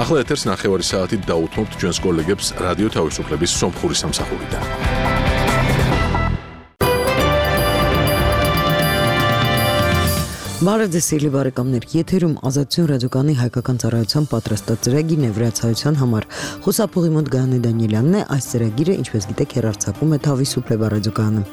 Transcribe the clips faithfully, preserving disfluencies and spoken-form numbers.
ახლა ეთერს ნახევარი საათით დაუთმობთ ჩვენს კოლეგებს რადიო თავისუფლების სომხური სამსახურიდან. Բարեձեւելի բարեկամներ, եթերում ազատություն ռադիոկայանի հայկական ծառայության պատրաստած ծրագիրն է վրացայության համար։ Խոսափողի մոտ Գայանե Դանիելյանն է, այս ծրագիրը, ինչպես գիտեք, հեռարձակվում է Თავისუფლება ռադիոկայանը։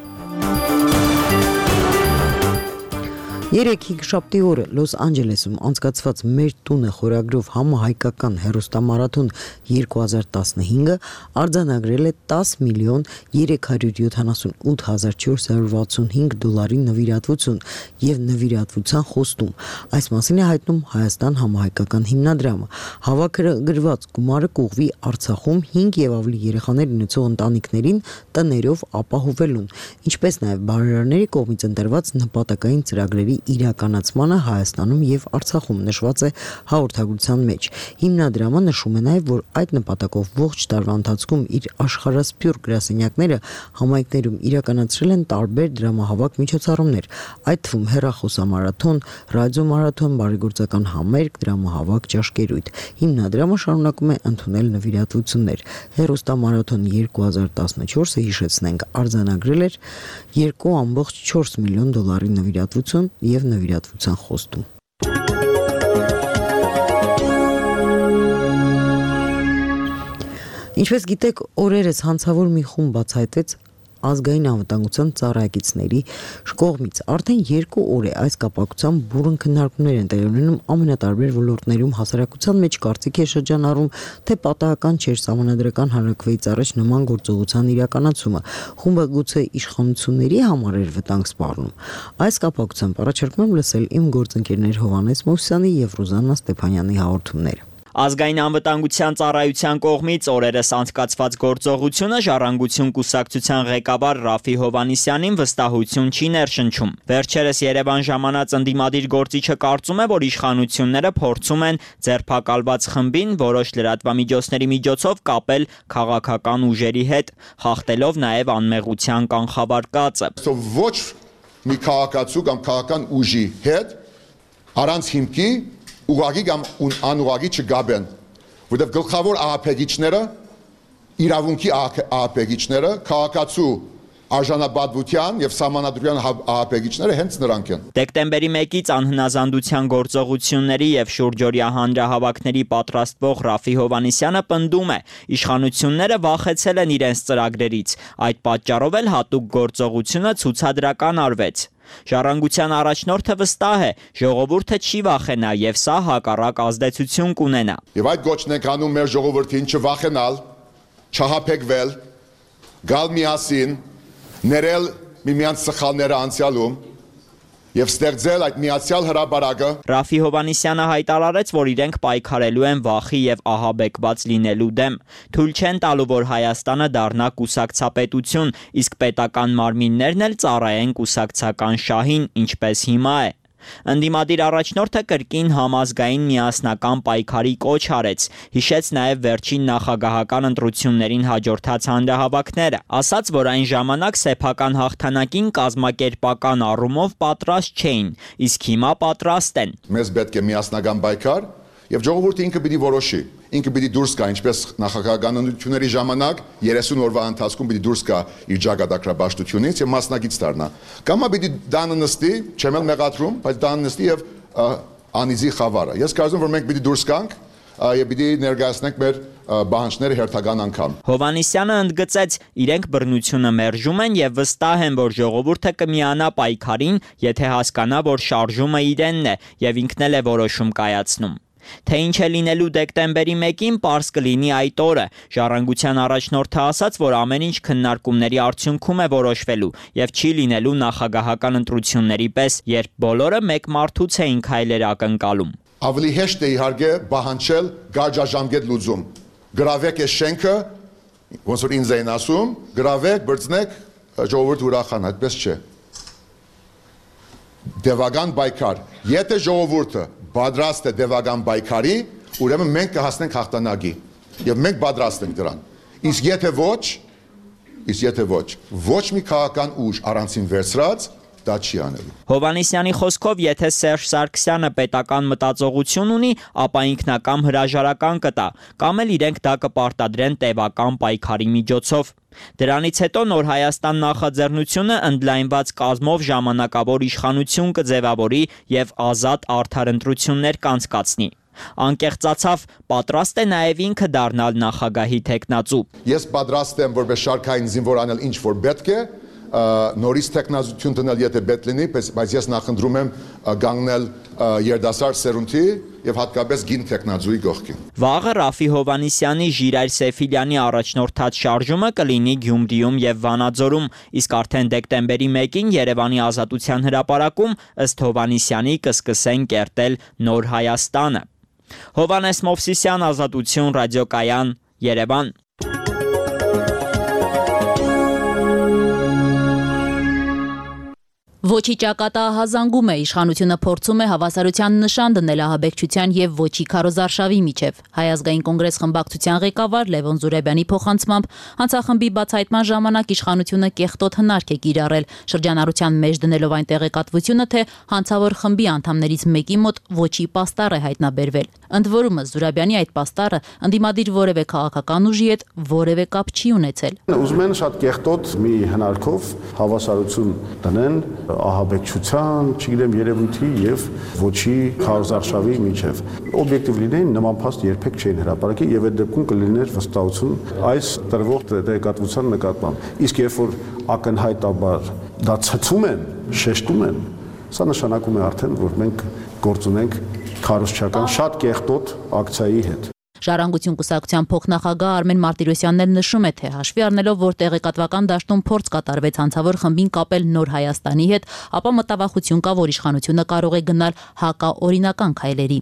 Երեկ հինգշաբթի օրը Լոս Անջելեսում անցկացված «Մեր տունը» խորագրով համահայկական հեռուստամարաթոն երկու հազար տասնհինգը արձանագրել է տաս միլիոն երեք հարյուր յոթանասունութ հազար չորս հարյուր վաթսունհինգ դոլարի նվիրատվություն եւ նվիրատվության խոստում։ Այս մասին է հայտնում Հայաստան համահայկական հիմնադրամը։ Հավաքագրված գումարը կուղղվի Արցախում հինգ եւ ավելի երեխաներ ունեցող ընտանիքներին տներով ապահովելուն, ինչպես նաեւ բարերարների կողմից ընտրված նպատակային ծրագրերի իրականացմանը Հայաստանում եւ Արցախում նշված է հաղորդագրության մեջ։ Հիմնադրամը նշում է նաեւ, որ այդ նպատակով ողջ տարվա ընթացքում իր աշխարհասփյուռ գրասենյակները համայնքներում իրականացրել են տարբեր դրամահավաք միջոցառումներ, այդ թվում հեռախոսամարաթոն, ռադիոմարաթոն, բարեգործական համերգ, դրամահավաք, ճաշկերույթ։ Հիմնադրամը շարունակում է ընդունել նվիրատվություններ։ Հեռուստամարաթոն երկու հազար տասնչորսը հիշեցնենք արձանագրել էր երկու կoma չորս միլիոն դոլարի նվիրատվություն եւ նվիրատվության խոստում։ Ինչպես գիտեք, օրերս հանցավոր մի խումբ բացահայտվեց ազգային անվտանգության ծառայակիցների կողմից։ Արդեն երկու օր է այս կապակցությամբ բուռն քննարկումներ են տեղի ունենում ամենատարբեր ոլորտներում, հասարակության մեջ կարծիք է շրջանառում, թե պատահական չէր սահմանադրական հանրաքվեից առաջ նման գործողության իրականացումը։ Խումբը գուցե իշխանությունների համար էր վտանգ սպառնում։ Այս կապակցությամբ առաջարկում եմ լսել իմ գործընկերներ Հովհաննես Մովսյանի եւ Ռուզաննա Ստեփանյանի հաղորդումները։ Ազգային անվտանգության ծառայության կողմից օրերս անցկացված գործողությունը Ժառանգություն կուսակցության ղեկավար Ռաֆի Հովհաննիսյանին վստահություն չի ներշնչում։ Վերջերս Երևան ժամանած ընդդիմադիր գործիչը կարծում է, որ իշխանությունները փորձում են ձերբակալված խմբին որոշ լրատվամիջոցների միջոցով կապել քաղաքական ուժերի հետ, խախտելով նաև անմեղության կանխավարկածը։ Ոչ մի քաղաքացու կամ քաղաքական ուժի հետ առանց հիմքի ուղղակի կամ անուղղակի չգաբեն, որտեղ գլխավոր ահաբեկիչները, իրավունքի ահաբեկիչները, քաղաքացու արժանապատվության եւ սահմանադրության ահաբեկիչները հենց նրանք են։ Դեկտեմբերի մեկից անհնազանդության գործողությունների եւ շուրջօրյա հանրահավաքների պատրաստվող Ռաֆի Հովհաննիսյանը պնդում է, իշխանությունները վախեցել են իրենց ծրագրերից, այդ պատճառով էլ հատուկ գործողությունը ցուցադրական արվեց։ Ժառանգության առաջնորդը վստահ է, ժողովուրդը չի վախենա եւ սա հակառակ ազդեցություն կունենա։ Եվ այդ գոչն ենք անում մեր ժողովրդին չվախենալ, չհապեկվել, գալ միասին, ներել միմյանց սխալները անցյալում եւ ստեղծել այդ միացյալ հրապարակը։ Ռաֆի Հովհաննիսյանը հայտարարեց, որ իրենք պայքարելու են վախի եւ ահաբեկված լինելու դեմ։ Թույլ չեն տալու, որ Հայաստանը դառնա կուսակցապետություն, իսկ պետական մարմիններն էլ ծառայեն կուսակցական շահին, ինչպես հիմա է։ Ընդդիմադիր առաջնորդը կրկին համազգային միասնական պայքարի կոչ արեց, հիշեց նաև վերջին նախագահական ընտրություններին հաջորդած հանրահավաքները, ասաց, որ այն ժամանակ սեփական հաղթանակին կազմակերպական առումով պատրաստ չէին, իսկ հիմա պատրաստ են։ Մեզ պետք է միասնական պայքար եւ ժողովուրդը ինքը պիտի որոշի, ինքը պիտի դուրս գա, ինչպես նախագահական ընտրությունների ժամանակ երեսուն օրվա ընթացքում պիտի դուրս գա իր ճակատագրաբաշխությունից եւ մասնակից դառնա։ Կամա պիտի դանը նստի, չեմ էլ մեղադրում, բայց դանը նստի եւ անիզի խավարը։ Ես կարծում որ մենք պիտի դուրս գանք եւ պիտի ներկայացնենք մեր բանջները հերթական անգամ։ Հովհաննիսյանը ընդգծեց, իրենք բռնությունը մերժում են եւ վստահ են, որ ժողովուրդը կմիանա պայքարին, եթե հասկանա, որ շարժումը իրենն է եւ ինքն էլ է որոշում կայացնում։ Թե ինչ է լինելու դեկտեմբերի մեկին, պարզ կլինի այդ օրը։ Ժառանգության առաջնորդը ասաց, որ ամեն ինչ քննարկումների արդյունքում է որոշվելու եւ չի լինելու նախագահական ընտրությունների պես, երբ բոլորը մեկ մարդուց էին քայլեր ակնկալում։ Ավելի հեշտ է իհարկե պահանջել գարաժամկետ լուծում։ Գրավեք այս շենքը, ոնց որ ինձ էին ասում, գրավեք, բրցնեք, ժողովուրդը ուրախանա, այդպես չէ։ Դևական պայքար։ Եթե ժողովուրդը պատրաստ է դևական պայքարի, ուրեմն մենք կհասնենք հաղթանակի եւ մենք պատրաստ ենք դրան։ Իսկ եթե ոչ, իսկ եթե ոչ, ոչ մի քաղաքական ուժ առանցին վերցրած դա չի անելու։ Հովհաննիսյանի խոսքով, եթե Սերժ Սարգսյանը պետական մտածողություն ունի, ապա ինքնակամ հրաժարական կտա, կամ էլ իրենք դա կպարտադրեն տևական պայքարի միջոցով։ Դրանից հետո Նոր Հայաստան նախաձեռնությունը ընդլայնված կազմով ժամանակավոր իշխանություն կձևավորի եւ ազատ արդար ընտրություններ կանցկացնի։ Անկեղծացավ, պատրաստ է նաև ինքը դառնալ նախագահի թեկնածու։ Ես պատրաստ եմ որպես շարքային զինվոր անել ինչ որ պետք է, նորից տեխնազություն դնել եթե պետք լինի, բայց ես նախընտրում եմ գանգնել երդասար սերունդի եւ հատկապես գին տեխնազուի կողքին։ Վաղը Ռաֆի Հովհաննիսյանի Ժիրայր Սեֆիլյանի առաջնորդած շարժումը կլինի Գյումրիում եւ Վանաձորում, իսկ արդեն դեկտեմբերի մեկին Երևանի Ազատության հրապարակում ըստ Հովհաննիսյանի կսկսեն կերտել Նոր Հայաստանը։ Հովհաննես Մովսիսյան, Ազատություն, ռադիոկայան, Երևան։ Ոչի ճակատահազանգում է, իշխանությունը փորձում է հավասարության նշան դնել ահաբեկչության եւ ոչի քարոզարշավի միջև։ Հայ ազգային կոնգրես խմբակցության ղեկավար Լևոն Զուրաբյանի փոխանցմամբ հանցախմբի բացահայտման ժամանակ իշխանությունը կեղտոտ հնարք է կիրառել, շրջանառության մեջ դնելով այն տեղեկատվությունը, թե հանցավոր խմբի անդամներից մեկի մոտ ոչի պաստառ է հայտնաբերվել։ Ընդ որում Զուրաբյանի այդ պաստառը ընդդիմադիր որևէ քաղաքական ուժի հետ որևէ կապ չի ունեցել։ Ուզում են շատ կեղտոտ մի հնարքով հավասարություն դնեն ահաբեկչության, չգիտեմ, երևույթի եւ ոչի քարոզարշավի միջև։ Օբյեկտիվ լինեին, նման փաստ երբեք չէին հրապարակի եւ այդ դեպքում կլիներ վստահություն այս տրվող տեղեկատվության նկատմամբ։ Իսկ երբ որ ակնհայտաբար դա ցցում են, շեշտում են, սա նշանակում է արդեն, որ մենք գործ ունենք քարոզչական շատ կեղտոտ ակցիայի հետ։ Ժառանգություն կուսակցության փոխնախագահ Արմեն Մարտիրոսյանն էլ նշում է, թե հաշվի առնելով, որ տեղեկատվական դաշտում փորձ կատարվեց հանցավոր խմբին կապել Նոր Հայաստանի հետ, ապա մտավախություն կա, որ իշխանությունը կարող է գնալ հակաօրինական քայլերի։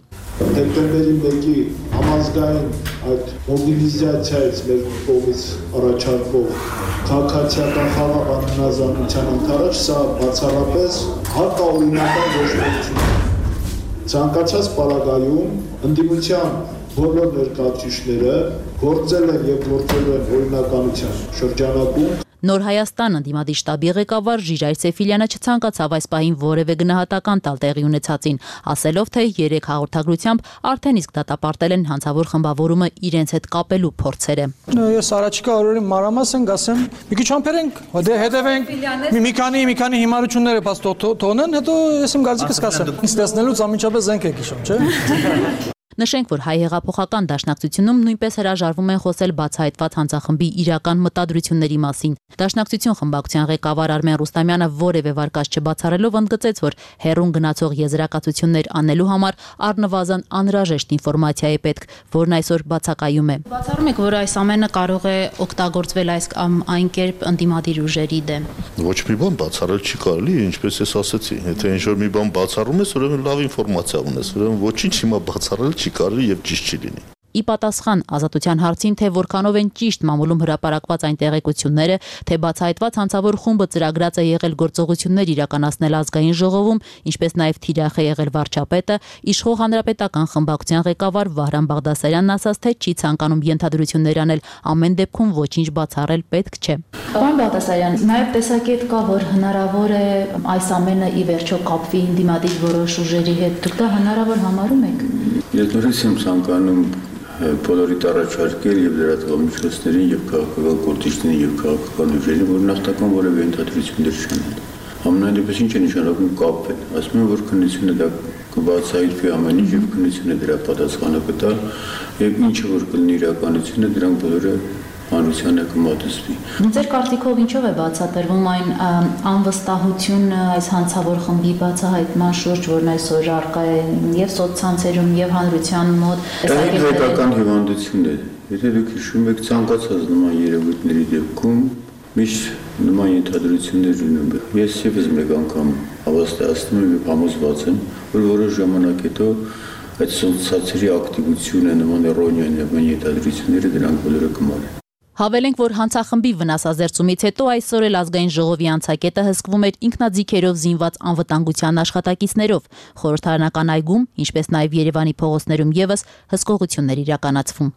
Դեկտեմբերի մեկի համազգային այդ մոբիլիզացիայից մեր կողմից առաջարկվող քաղաքացիական խաղաղ անհնազանդության ընթരാճ սա բացառապես հակաօրինական գործողություն է։ Ցանկացած պարագայում ընդդիմության բոլոր ներկայացուցիչները գործել են եւ գործել են օրինականության շրջանակում։ Նոր Հայաստան ընդդիմադիր շտաբի ղեկավար Ժիրայր Սեֆիլյանը չցանկացավ այս պահին որևէ գնահատական տալ տեղի ունեցածին, ասելով, թե երեք հաղորդագրությամբ արդեն իսկ դատապարտել են հանցավոր խմբավորումը իրենց հետ կապելու փորձերը։ Ես առաջիկա օրերին մանրամասն գասեմ, մի քիչ համբերենք, դե հետևենք, մի քանի մի քանի հիմարությունները բաց թողնեն, հետո ես իմ գարձիկս կասեմ։ Ինձ տեսնելուց ամիջապես զենք եք հիշում, չէ՞։ Նշենք, որ հայ հեղափոխական դաշնակցությունում նույնպես հրաժարվում են խոսել բացահայտված հանցախմբի իրական մտադրությունների մասին։ Դաշնակցություն խմբակցության ղեկավար Արմեն Ռուստամյանը որևէ վարկած չբացառելով ընդգծեց, որ հերուն գնացող եզրակացություններ անելու համար առնվազն անհրաժեշտ ինֆորմացիա է պետք, որն այսօր բացակայում է։ Բացառում եք, որ այս ամենը կարող է օգտագործվել այս կամ այն կերպ ընդդիմադիր ուժերի դեմ։ Ոչ մի բան բացառել չի կարելի, ինչպես ես ասացի, եթե ինչ-որ մի բան բացառում ես, ուրեմն լավ ինֆորմացիա ունես, ուրեմն ոչինչ հիմա բացառել չի կարելի եւ ճիշտ չի լինի։ Ի պատասխան Ազատության հարցին, թե որքանով են ճիշտ մամուլում հրապարակված այն տեղեկությունները, թե բացահայտված հանցավոր խումբը ծրագրած է եղել գործողություններ իրականացնել ազգային ժողովում, ինչպես նաև թիրախ է եղել վարչապետը, իշխող հանրապետական խմբակցության ղեկավար Վահրամ Բաղդասարյանն ասաց, թե չի ցանկանում ենթադրություններ անել, ամեն դեպքում ոչինչ բացառել պետք չէ։ Պարոն Բաղդասարյան, նաև տեսակետ կա, որ հնարավոր է այս ամենը ի վերջո կապվի ընդդիմադիր որոշ ուժերի հետ։ Դուք դա հնարավոր համարում եք։ Ես նորից եմ ցանկանում բոլորիդ առաջարկել եւ լրատվամիջոցներին եւ քաղաքական գործիչներին եւ քաղաքական ուժերին, որ նախնական որևէ ընդհանրություններ չանեն։ Ամենայնպես ինչ է նշանակում կապել։ Ասում են, որ քննությունը դա կբացահայտվի ամեն ինչ եւ քննությունը դրա պատասխանը կտա եւ ինչը որ կլինի իրականությունը, դրանք բոլորը հանրությանը կմատուցվի։ Ձեր կարծիքով ինչով է բացատրվում այն անվստահությունը այս հանցավոր խմբի բացահայտման շուրջ, որն այսօր առկա է եւ սոցցանցերում եւ հանրության մոտ։ Դա հայկական հիվանդություն է։ Եթե դուք հիշում եք ցանկացած նման երևույթների դեպքում միշտ նման ենթադրություններ ունեն։ Ես եւս մեկ անգամ հավաստիացնում եմ եւ համոզված եմ, որ որոշ ժամանակ հետո այդ սոցցանցերի ակտիվությունը նման էրոնիա նման ենթադրությունները դրանք բոլորը կմարեն։ Հավելենք, որ հանցախմբի վնասազերծումից հետո այսօր էլ ազգային ժողովի անցակետը հսկվում էր ինքնաձիգերով զինված անվտանգության աշխատակիցներով։ Խորհրդարանական այգում, ինչպես նաև Երևանի փողոցներում եւս հսկողություններ իրականացվում։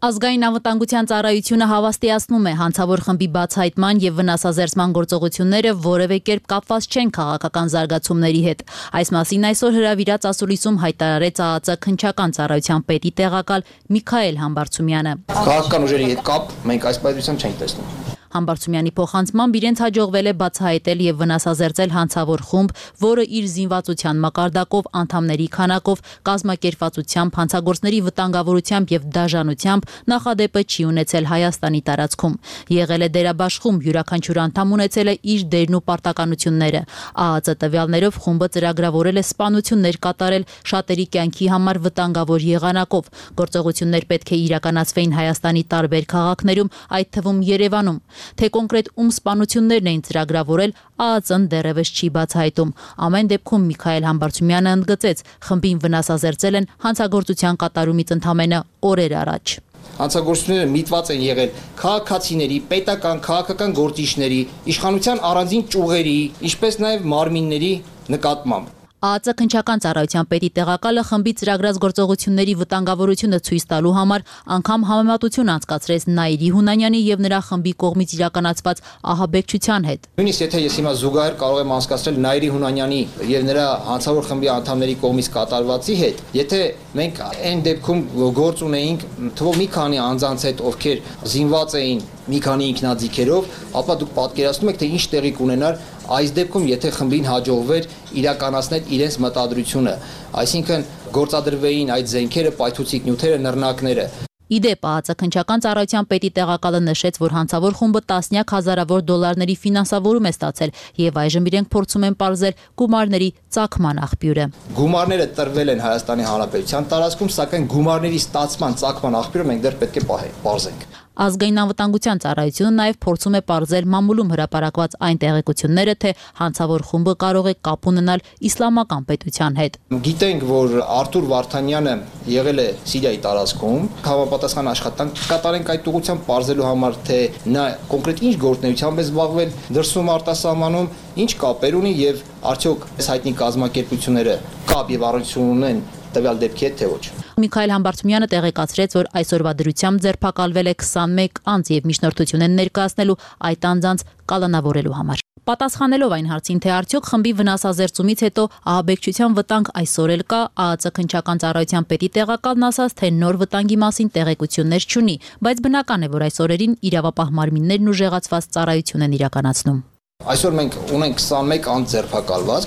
Ազգային անվտանգության ծառայությունը հավաստիացնում է հանցավոր խմբի բացահայտման եւ վնասազերծման գործողությունները որևէ կերպ կապված չեն քաղաքական զարգացումների հետ։ Այս մասին այսօր հրավիրած ասուլիսում հայտարարեց ԱԱԾ քննչական ծառայության պետի տեղակալ Միքայել Համբարձումյանը։ Քաղաքական ուժերի հետ կապ մենք այս պայմանությամբ չենք տեսնում։ Համբարձումյանի փոխանցմամբ իրենց հաջողվել է բացահայտել եւ վնասազերծել հանցավոր խումբ, որը իր զինվածության մակարդակով, անդամների քանակով, կազմակերպվածությամբ, հանցագործների վտանգավորությամբ եւ դաժանությամբ նախադեպը չի ունեցել Հայաստանի տարածքում։ Եղել է դերաբաշխում, յուրաքանչյուր անդամ ունեցել է իր դերն ու պարտականությունները։ ԱԱԾ տվյալներով խումբը ծրագրավորել է սպանություններ կատարել շատերի կյանքի համար վտանգավոր եղանակով։ Գործողություններ պետք է իրականացվեին Հայաստանի տարբեր քաղաքներում, այդ թվում Երևանում։ Թե կոնկրետ ում սպանություններն էին ծրագրավորել, ԱԱԾ-ն դեռևս չի բացահայտում։ Ամեն դեպքում Միքայել Համբարձումյանը ընդգծեց, խմբին վնասազերծել են հանցագործության կատարումից ընդամենը օրեր առաջ։ Հանցագործությունները միտված են եղել քաղաքացիների, պետական, քաղաքական գործիչների, իշխանության առանձին ճյուղերի, ինչպես նաև մարմինների նկատմամբ։ ԱԱԾ քննչական ծառայության պետի տեղակալը խմբի ծրագրած գործողությունների վտանգավորությունը ցույց տալու համար անգամ համեմատություն անցկացրեց Նաիրի Հունանյանի եւ նրա խմբի կողմից իրականացված ահաբեկչության հետ։ Նույնիսկ եթե ես հիմա զուգահեռ կարող եմ անցկացնել Նաիրի Հունանյանի եւ նրա հանցավոր խմբի անդամների կողմից կատարվածի հետ, եթե մենք այն դեպքում գործ ունեինք թվով մի քանի անձանց հետ, ովքեր զինված էին մի քանի ինքնաձիգերով, ապա դուք պատկերացնում եք, թե ինչ տեղի կունենար այս դեպքում, եթե խմբին հաջողվեր իրականացնել իրենց մտադրությունը, այսինքն գործադրվեին այդ զենքերը, պայթուցիկ նյութերը, նռնակները։ Իդեպ ԱԱԾ քննչական ծառայության պետի տեղակալը նշեց, որ հանցավոր խումբը տասնյակ հազարավոր դոլարների ֆինանսավորում է ստացել եւ այժմ իրենք փորձում են պարզել գումարների ծագման աղբյուրը։ Գումարները տրվել են Հայաստանի Հանրապետության տարածքում, սակայն գումարների ստացման ծագման աղբյուրը մենք դեռ պետք է պարզենք։ Ազգային անվտանգության ծառայությունը նաև փորձում է պարզել մամուլում հրապարակված այն տեղեկությունները, թե հանցավոր խումբը կարող է կապ ունենալ իսլամական պետության հետ։ Գիտենք, որ Արթուր Վարդանյանը եղել է Սիրիայի տարածքում, համապատասխան աշխատանք կատարենք այդ ուղղությամբ պարզելու համար, թե նա կոնկրետ ինչ գործունեությամբ է զբաղվել դրսում արտասահմանում, ինչ կապեր ունի եւ արդյոք այս հայտնի կազմակերպությունները կապ եւ առնչություն ունեն տվյալ դեպքի հետ, թե ոչ։ Միքայել Համբարձումյանը տեղեկացրեց, որ այսօրվա դրությամբ ձերբակալվել է քսանմեկ անձ եւ միջնորդություն են ներկայացնելու այդ անձանց կալանավորելու համար։ Պատասխանելով այն հարցին, թե արդյոք խմբի վնասազերծումից հետո ահաբեկչության վտանգ այսօր էլ կա, ԱԱԾ քննչական ծառայության պետի տեղակալն ասաց, թե նոր վտանգի մասին տեղեկություններ չունի, բայց բնական է, որ այս օրերին իրավապահ մարմիններն ուժեղացված ծառայություն են իրականացնում։ Այսօր մենք ունենք քսանմեկ անձ ձերբակալված,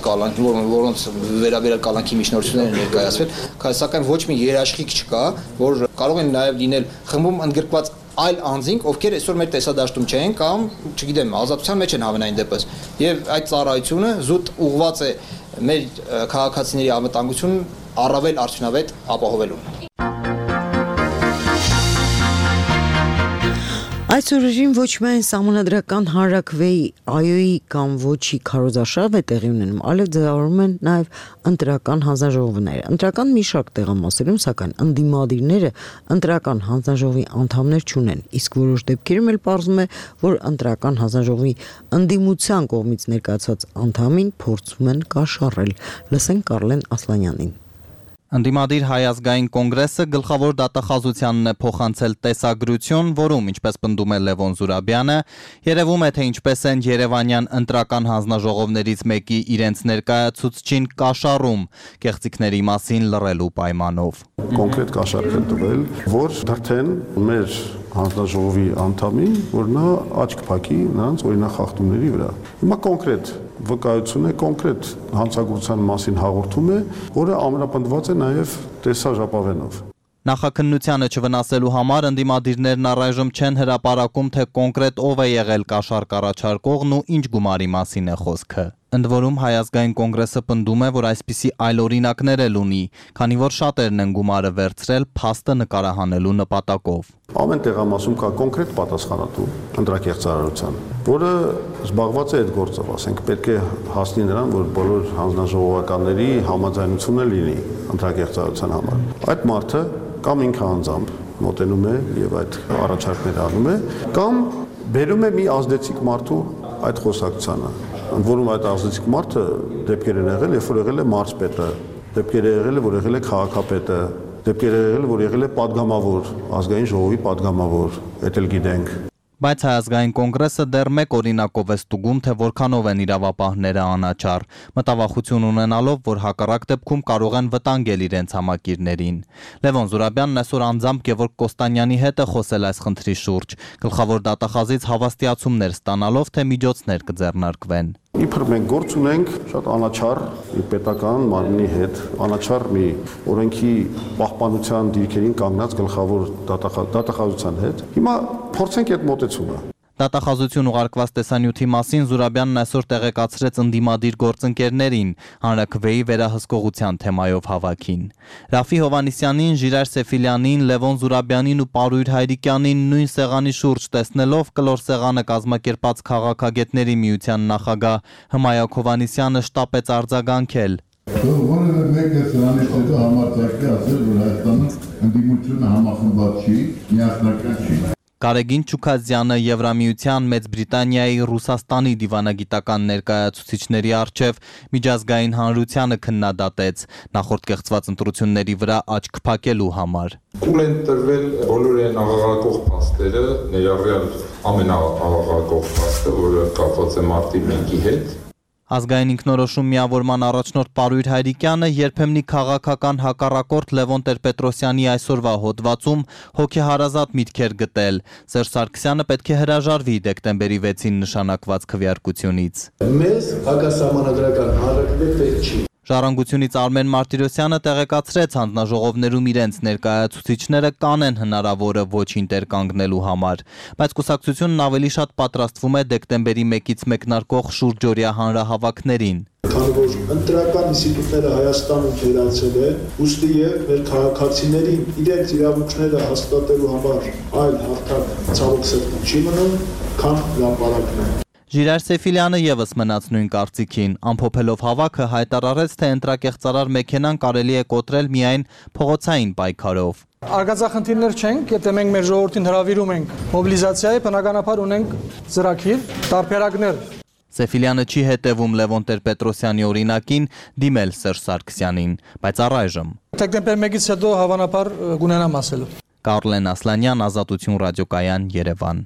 որոնց վերաբերյալ կալանքի միջնորդություններ են ներկայացվել, սակայն ոչ մի երաշխիք չկա, որ կարող են նաև լինել խմբում ընդգրկված այլ անձինք, ովքեր այսօր մեր տեսադաշտում չեն կամ, չգիտեմ, ազատության մեջ են հավանային դեպս։ Եվ այդ ծառայությունը զուտ ուղղված է մեր քաղաքացիների անվտանգությունն առավել արդյունավետ ապահովելու։ Այս օրերին ոչ միայն սահմանադրական հանրաքվեի այոյի կամ ոչի քարոզարշավ է տեղի ունենում, այլև ձևավորվում են նաև ընտրական հանձնաժողովները։ Ընտրական մի շարք տեղամասերում, սակայն ընդդիմադիրները ընտրական հանձնաժողովի անդամներ չունեն, իսկ որոշ դեպքերում էլ պարզվում է, որ ընտրական հանձնաժողովի ընդդիմության կողմից ներկայացված անդամին փորձում են կաշառել։ Լսենք Կարլեն Ասլանյանին։ Ընդդիմադիր Հայ ազգային կոնգրեսը գլխավոր դատախազությանն է փոխանցել տեսագրություն, որում, ինչպես պնդում է Լևոն Զուրաբյանը, երևում է, թե ինչպես են Երևանյան ընտրական հանձնաժողովներից մեկի իրենց ներկայացուցչին կաշառում կեղծիքների մասին լռելու պայմանով։ Կոնկրետ կաշառք են տվել, որ դրթեն մեր հանձնաժողովի անդամին, որ նա աչք փակի նրանց օրինախախտումների վրա։ Հիմա կոնկրետ վկայություն է, կոնկրետ հանցագործության մասին հաղորդում է, որը ամրապնդված է նաև տեսաժապավենով։ Նախաքննությանը չվնասելու համար ընդդիմադիրներն առայժմ չեն հրապարակում, թե կոնկրետ ով է եղել կաշառք առաջարկողն ու ինչ գումարի մասին է խոսքը։ Ընդ որում Հայ ազգային կոնգրեսը պնդում է, որ այսպիսի այլ օրինակներ էլ ունի, քանի որ շատերն են գումարը վերցրել փաստը նկարահանելու նպատակով։ Ամեն տեղամասում կա կոնկրետ պատասխանատու ընտրակեղծարարության, որը զբաղված է այդ գործով, ասենք պետք է հասնի նրան, որ բոլոր հանձնաժողովականների համաձայնությունը լինի ընտրակեղծարարության համար։ Այդ մարդը կամ ինքը անձամբ մոտենում է եւ այդ առաջարկները անում է, կամ բերում է մի ազդեցիկ մարդու այդ խոսակցությանը, ընդ որում այդ ազդեցիկ մարդը դեպքեր են եղել, երբ որ եղել է մարզպետը, դեպքեր է եղել, որ եղել է քաղաքապետը, դեպքեր եղել, որ եղել է падգամավոր, ազգային ժողովի падգամավոր, դա էլ գիտենք։ Բայց Հայազգային կոնգրեսը դեռ մեկ օրինակով է ստուգում, թե որքանով են իրավապահները անաչառ, մտավախություն ունենալով, որ հակառակ դեպքում կարող են վտանգել իրենց համակիրներին։ Լևոն Զուրաբյանն այսօր անձամբ Գևորգ Կոստանյանի հետ է խոսել այս խնդրի շուրջ, գլխավոր դատախազից հավաստիացումներ ստանալով, թե միջոցներ կձեռնարկվեն։ Իբր մենք գործ ունենք շատ անաչառ պետական մարմնի հետ, անաչառ մի օրենքի պահպանության դիրքերին կանգնած գլխավոր դատախազության հետ։ Հիմա փորձենք այդ մոտեցումը։ Դատախազություն ուղարկված տեսանյութի մասին Զուրաբյանն այսօր տեղեկացրեց ընդդիմադիր գործընկերներին հանրաքվեի վերահսկողության թեմայով հավաքին։ Ռաֆի Հովհաննիսյանին, Ժիրայր Սեֆիլյանին, Լևոն Զուրաբյանին ու Պարույր Հայրիկյանին նույն սեղանի շուրջ տեսնելով կլոր սեղանը կազմակերպած քաղաքագետների միության նախագահ Հմայակ Հովհաննիսյանը շտապեց արձագանքել։ Որևէ մեկը սրանից հետո համարձակի ասել, որ Հայաստանում ընդդիմությունը համախմբված չի, միասնական չի։ Կարեգին Չուքազյանը Եվրամիության, Մեծ Բրիտանիայի, Ռուսաստանի դիվանագիտական ներկայացուցիչների առջև միջազգային հանրությանը քննադատեց նախորդ կեղծված ընտրությունների վրա աչք փակելու համար։ Կուլ են տրվել բոլոր այն աղաղակող փաստերը, ներառյալ ամենաաղաղակող փաստը, որը կապված է մարտի մեկի հետ։ Ազգային ինքնորոշում միավորման առաջնորդ Պարույր Հայրիկյանը երբեմնի քաղաքական հակառակորդ Լևոն Տեր-Պետրոսյանի այսօրվա հոդվածում հոգեհարազատ միտքեր գտել։ Սերժ Սարգսյանը պետք է հրաժարվի դեկտեմբերի վեցին նշանակված քվեարկությունից։ Մեզ հակասահմանադրական հանրաքվե պետք չի։ Ժառանգությունից Արմեն Մարտիրոսյանը տեղեկացրեց հանձնաժողովներում իրենց ներկայացուցիչները կանեն հնարավորը ոչին տեր կանգնելու համար, բայց կուսակցությունն ավելի շատ պատրաստվում է դեկտեմբերի մեկից մեկնարկող շուրջօրյա հանրահավաքներին։ Քանի որ ընտրական ինստիտուտները Հայաստանում թերացել է, ուստի եւ մեր քաղաքացիներին իրենց իրավունքները հաստատելու համար այլ հարթակ ցավոք սրտի չի մնում, քան հրապարակն է։ Ժիրայր Սեֆիլյանը եւս մնաց նույն կարծիքին, ամփոփելով հավաքը հայտարարեց, թե ընտրակեղծարար մեքենան կարելի է կոտրել միայն փողոցային պայքարով։ Արգածախնդիրներ չենք, եթե մենք մեր ժողովրդին հրավիրում ենք մոբիլիզացիայի, բնականաբար ունենք ծրագիր, տարբերակներ։ Սեֆիլյանը չի հետևում Լևոն Տեր-Պետրոսյանի օրինակին դիմել Սերժ Սարգսյանին, բայց առայժմ դեկտեմբեր մեկից հետո հավանաբար կունենամ ասելու։ Կարլեն Ասլանյան, Ազատություն ռադիոկայան, Երևան։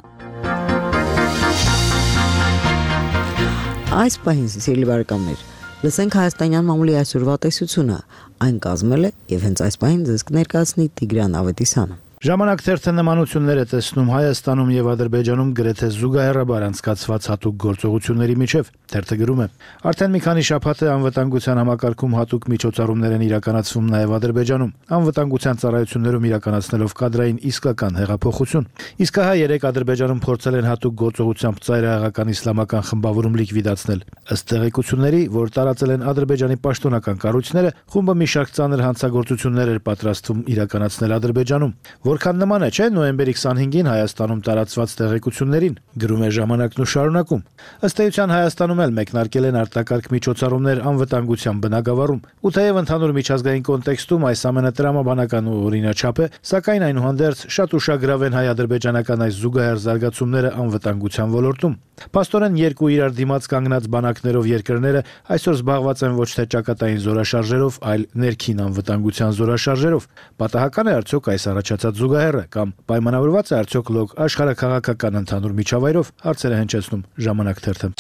Այս պահին սիրելի բարեկամներ, լսենք հայաստանյան մամուլի այսօրվա տեսությունը, այն կազմել է եւ հենց այս պահին ձեզ կներկայացնի Տիգրան Ավետիսյանը։ Ժամանակ թերթը նմանություններ է տեսնում Հայաստանում եւ Ադրբեջանում գրեթե զուգահեռաբար անցկացված հատուկ գործողությունների միջև։ Թերթը գրում է. Արդեն մի քանի շաբաթ է անվտանգության համակարգում հատուկ միջոցառումներ են իրականացվում նաեւ Ադրբեջանում։ Անվտանգության ծառայություններում իրականացնելով կադրային իսկական հեղափոխություն։ Իսկ հա երեք Ադրբեջանում փորձել են հատուկ գործողությամբ ծայրահեղական իսլամական խմբավորում լիկվիդացնել։ Ըստ տեղեկությունների, որ տարածել են Ադրբեջանի պաշտոնական կառույցները, խումբը մի շարք ծանր հանցագործություններ էր պատրաստվում իրականացնել Ադրբեջանում։ Որքան նման է, չէ՞, նոյեմբերի քսանհինգին Հայաստանում տարածված տեղեկություններին, գրում է Ժամանակն ու շարունակում։ Ըստ էության Հայաստանում էլ մեկնարկել են արտակարգ միջոցառումներ անվտանգության բնագավառում, ու թեև ընդհանուր միջազգային կոնտեքստում այս ամենը տրամաբանական ու օրինաչափ է, սակայն այնուհանդերձ շատ ուշագրավ են հայ-ադրբեջանական այս զուգահեռ զարգացումները անվտանգության ոլորտում։ Փաստորեն երկու իրար դիմաց կանգնած բանակներով երկրները այսօր զբաղված են ոչ թե ճակատային զորաշարժերով, այլ ներքին անվտանգության զորաշարժերով։ Պատահական է արդյոք այս առաջացած զուգահեռը կամ պայմանավորված է արդյոք լոկ աշխարհաքաղաքական ընդհանուր միջավայրով, հարցեր է հնչեցնում Ժամանակ թերթը։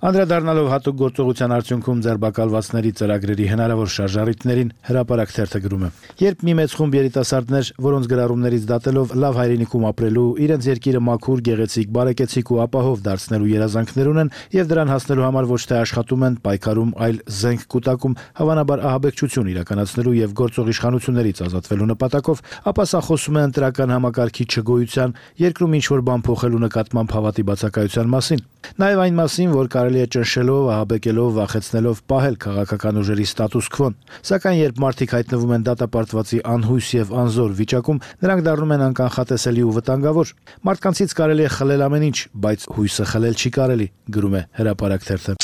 Անդրադառնալով հատուկ գործողության արդյունքում ձերբակալվածների ծրագրերի հնարավոր շարժառիթներին հրապարակ թերթը գրում է. Երբ մի մեծ խումբ երիտասարդներ, որոնց գրառումներից դատելով լավ հայրենիքում ապրելու, իրենց երկիրը մաքուր, գեղեցիկ, բարեկեցիկ ու ապահով դարձնելու երազանքներ ունեն եւ դրան հասնելու համար ոչ թե աշխատում են, պայքարում, այլ զենք կուտակում, հավանաբար ահաբեկչություն իրականացնելու եւ գործող իշխանություններից ազատվելու նպատակով, ապա սա խոսում է ընտրական համակարգի չգոյության, երկրում ինչ որ բան փոխելու նկատմամբ հավատի բացակայության մասին։ Նաեւ այն մասին, որ կարելի է ճնշելով, ահաբեկելով, վախեցնելով պահել քաղաքական ուժերի ստատուս քվոն։ Սակայն երբ մարդիկ հայտնվում են դատապարտվածի անհույս եւ անզոր վիճակում, նրանք դառնում են անկանխատեսելի ու վտանգավոր։ Մարդկանցից կարելի է խլել ամեն ինչ, բայց հույսը խլել չի կարելի, գրում է Հրապարակ թերթը։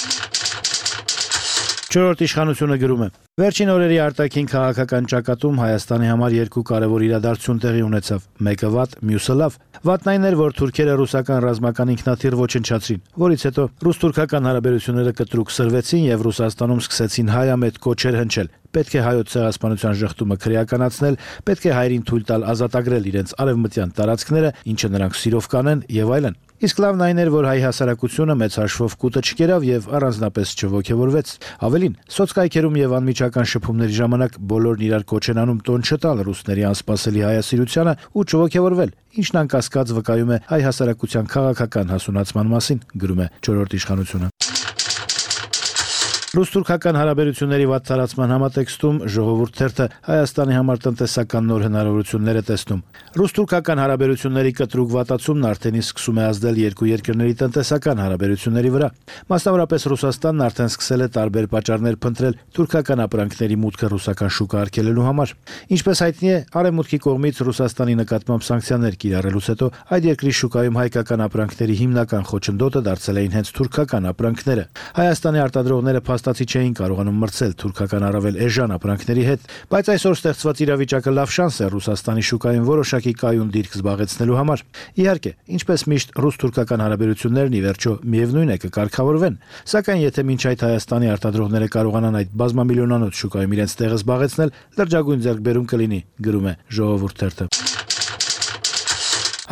Չորրորդ իշխանությունը գրում է. Վերջին օրերի արտաքին քաղաքական ճակատում Հայաստանի համար երկու կարևոր իրադարձություն տեղի ունեցավ։ Մեկը վատ, մյուսը լավ։ Վատն այն էր, որ թուրքերը ռուսական ռազմական ինքնաթիռ ոչնչացրին, որից հետո ռուս-թուրքական հարաբերությունները կտրուկ սրվեցին եւ Ռուսաստանում սկսեցին հայամետ կոչեր հնչել։ Պետք է հայոց ցեղասպանության ժխտումը քրեականացնել, պետք է հայերին թույլ տալ ազատագրել իրենց արևմտյան տարածքները, ինչը նրանք սիրով կանեն եւ այլն։ Իսկ լավն այն էր, որ հայ հասարակությունը մեծ հաշվով կուտը չկերավ եւ առանձնապես չողոքեվորվեց։ Ավելին, սոցկայքերում եւ անմիջական շփումների ժամանակ բոլորն իրար կոչ են անում տոն չտալ ռուսների անսպասելի հայասիրությանը ու չողոքեվորվել, ինչն անկասկած վկայում է հայ հասարակության քաղաքական հասունացման մասին, գրում է չորրորդ իշխանությունը։ Ռուս-թուրքական հարաբերությունների վատ տարածման համատեքստում ժողովուրդ թերթը Հայաստանի համար տնտեսական նոր հնարավորություններ է տեսնում։ Ռուս-թուրքական հարաբերությունների կտրուկ վատացումն արդեն իսկ սկսում է ազդել երկու երկրների տնտեսական հարաբերությունների վրա։ Մասնավորապես Ռուսաստանն արդեն սկսել է տարբեր պատճառներ փնտրել թուրքական ապրանքների մուտքը ռուսական շուկա արգելելու համար։ Ինչպես հայտնի է, Արևմուտքի կողմից Ռուսաստանի նկատմամբ սանկցիաներ կիրառելուց հետո այդ երկրի շուկայում հայկական ապրանքների հիմնական խոչընդոտը դարձել էին հենց թուրքական ապրանքները։ Հայաստանի արտադրողները փաստացի չէին կարողանում մրցել թուրքական առավել էժան ապրանքների հետ, բայց այսօր ստեղծված իրավիճակը լավ շանս է Ռուսաստանի շուկայում որոշակի կայուն դիրք զբաղեցնելու համար։ Իհարկե, ինչպես միշտ ռուս-թուրքական հարաբերություններն ի վերջո միևնույն է կկարգավորվեն, սակայն եթե մինչ այդ Հայաստանի արտադրողները կարողանան այդ բազմամիլիոնանոց շուկայում իրենց տեղը զբաղեցնել, լրջագույն ձեռքբերում կլինի, գրում է Ժողովուրդ թերթը։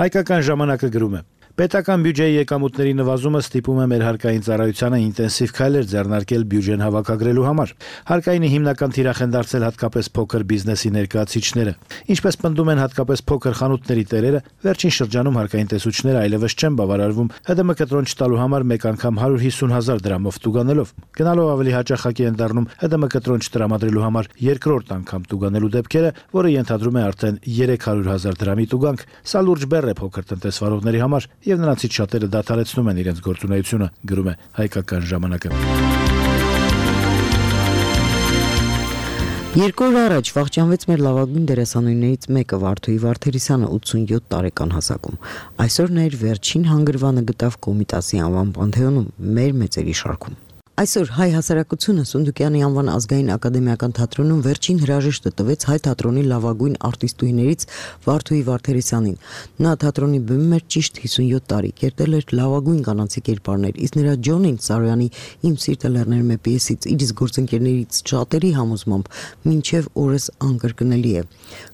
Հայկական ժամանակը գրում է. Պետական բյուջեի եկամուտների նվազումը ստիպում է մեր հարկային ծառայությանը ինտենսիվ քայլեր ձեռնարկել բյուջեն հավաքագրելու համար։ Հարկայինի հիմնական թիրախ են դարձել հատկապես փոքր բիզնեսի ներկայացուցիչները։ Ինչպես պնդում են հատկապես փոքր խանութների տերերը, վերջին շրջանում հարկային տեսուչները այլևս չեն բավարարվում ՀԴՄ կտրոն չտալու համար մեկ անգամ հարյուր հիսուն հազար դրամով տուգանելով։ Գնալով ավելի հաճախակի են դառնում ՀԴՄ կտրոն չտրամադրելու համար երկրորդ անգամ տուգանելու դեպքերը, որը ենթադրում է արդեն երեք հարյուր հազար դրամի տուգանք։ Սա լուրջ բեռ է փոքր տնտեսվարողների համար եւ նրանցից շատերը դադարեցնում են իրենց գործունեությունը, գրում է Հայկական ժամանակը։ Երկու օր առաջ վախճանվեց մեր լավագույն դերասանուհիներից մեկը Վարդուհի Վարդերիսյանը ութսունյոթ տարեկան հասակում։ Այսօր նա իր վերջին հանգրվանը գտավ Կոմիտասի անվան պանթեոնում մեր մեծերի շարքում։ Այսօր հայ հասարակությունը Սունդուկյանի անվան ազգային ակադեմիական թատրոնում վերջին հրաժեշտը տվեց հայ թատրոնի լավագույն արտիստուհիներից Վարդուհի Վարդերիսյանին։ Նա թատրոնի բեմում էր ճիշտ հիսունյոթ տարի, կերտել էր լավագույն կանացի կերպարներ, իսկ նրա Ջոնին Սարոյանի Իմ սիրտը լեռներում է պիեսից իր գործընկերներից շատերի համոզմամբ մինչև օրս անկրկնելի է։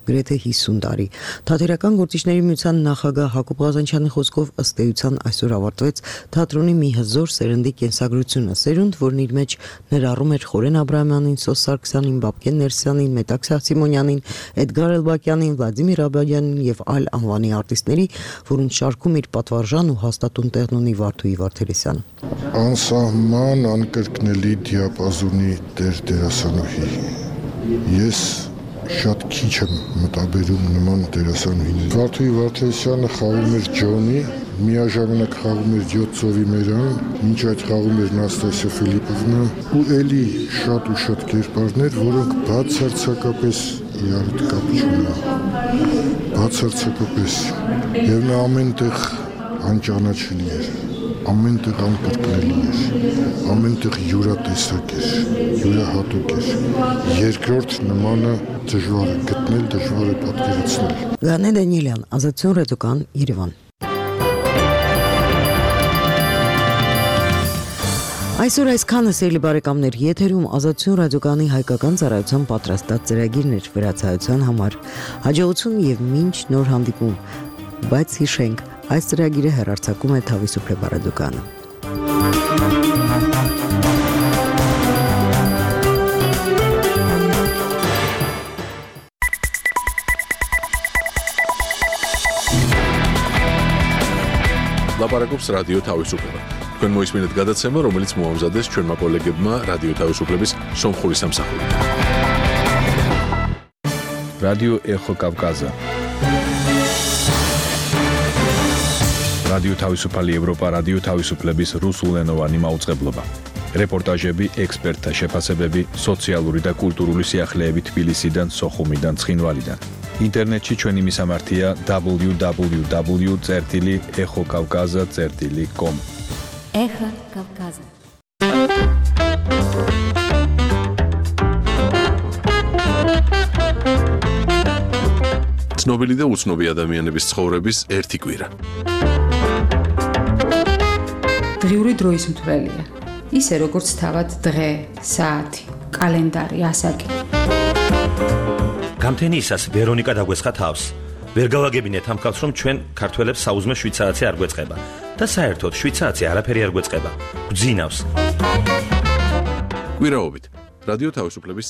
Գրեթե հիսուն տարի։ Թատերական գործիչների միության նախագահ Հակոբ Ղազանչյանի խոսքով ըստ էության այսօր ավարտվեց թատրոնի մի հզոր սերնդի կենսագրությունը, սերունդ, որն իր մեջ ներառում էր Խորեն Աբրահամյանին, Սոս Սարգսյանին, Բաբկեն Ներսյանին, Մետաքսյա Սիմոնյանին, Էդգար Էլբակյանին, Վլադիմիր Աբադյանին եւ այլ անվանի արտիստների, որոնց շարքում իր պատվարժան ու հաստատուն տեղն ունի Վարդուհի Վարդերիսյանը։ Անսահման անկրկնելի դիապազոնի տեր դերասանուհի։ Ես շատ քիչ եմ մտաբերում նման դերասանուհիների։ Վարդուհի Վարդերիսյանը խաղում էր Ջոնի, միաժամանակ խաղում էր յոթ ծովի մերան, մինչ այդ խաղում էր Նաստասիա Ֆիլիպովնա ու էլի շատ ու շատ կերպարներ, որոնք բացարձակապես իրար հետ կապ չունեն։ Բացարձակապես։ Եվ նա ամենտեղ անճանաչելի էր, ամենտեղ անկրկնելի էր, ամենտեղ յուրատեսակ էր, յուրահատուկ էր։ Երկրորդ նմանը դժվար է գտնել, դժվար է պատկերացնել։ Գանե Դանիելյան, Ազատություն ռադիոկան, Երևան։ Այսօր այսքանը սիրելի բարեկամներ, եթերում Ազատություն ռադիոկանի հայկական ծառայության պատրաստած ծրագիրներ վրացայության համար։ Հաջողություն եւ մինչ նոր հանդիպում։ Բայց հիշենք, այս ծրագիրը հեռարձակում է Թավիսուփլե ռադիոկանը։ Լապարակոպս ռադիո Թավիսուփլե։ Քան մոյս մինետ գադացեմը, რომელიც մոհամզադես ჩვენ մակոլեգებმა რადიო თავისუფლების სომხური სამსახური. რადიო ეხო კავკაზა. რადიო თავისუფალი ევროპა, რადიო თავისუფლების რუსულენოვანი მაუწყებლობა. რეპორტაჟები, ექსპერტთა შეფასებები, სოციალური და კულტურული სიახლეები თბილისიდან, სოხუმიდან, ცხინვალიდან. ინტერნეტში ჩვენი მისამართია double-u double-u double-u წერტილი ეხო კავკაზა წერტილი com. Эхо Кавказа. ცნობილი და უცნობი ადამიანების ცხოვრების ერთი კვირა. დღიური დროის მთვრელია. ისე როგორც თავად დღე, საათი, კალენდარი, ასაკი. გამთენიისას ვერონიკა დაგვესხა თავს. ვერ გავაგებინეთ ამ ხალხს, რომ ჩვენ ქართველებს საუზმე შვიდ საათი არ გვეწყება და საერთოდ შვიდ საათი არაფერი არ გვეწყება. გვძინავს. კვირაობით რადიო თავისუფლების